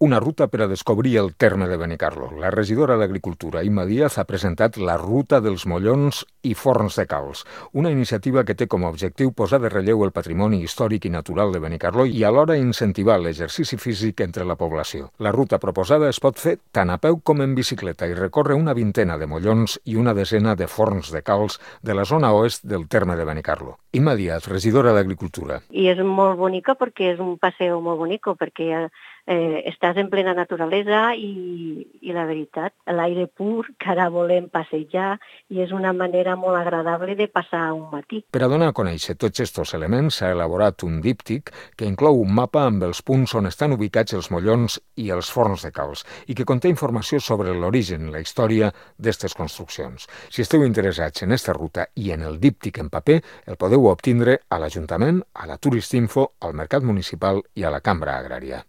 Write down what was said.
Una ruta per a descobrir el terme de Benicarló. La regidora d'Agricultura, Imma Díaz, ha presentat la Ruta dels Mollons i Forns de Calç, una iniciativa que té com a objectiu posar de relleu el patrimoni històric i natural de Benicarló i alhora incentivar l'exercici físic entre la població. La ruta proposada es pot fer tant a peu com en bicicleta i recorre una vintena de mollons i una desena de forns de calç de la zona oest del terme de Benicarló. Imma Díaz, regidora d'Agricultura. I és molt bonica perquè és un paseo molt bonico, perquè estàs en plena naturalesa i la veritat, l'aire pur, que ara volem passejar i és una manera molt agradable de passar un matí. Per a donar a conèixer tots aquests elements s'ha elaborat un díptic que inclou un mapa amb els punts on estan ubicats els mollons i els forns de calç i que conté informació sobre l'origen i la història d'aquestes construccions. Si esteu interessats en aquesta ruta i en el díptic en paper, el podeu obtindre a l'Ajuntament, a la Turistinfo, al Mercat Municipal i a la Cambra Agrària.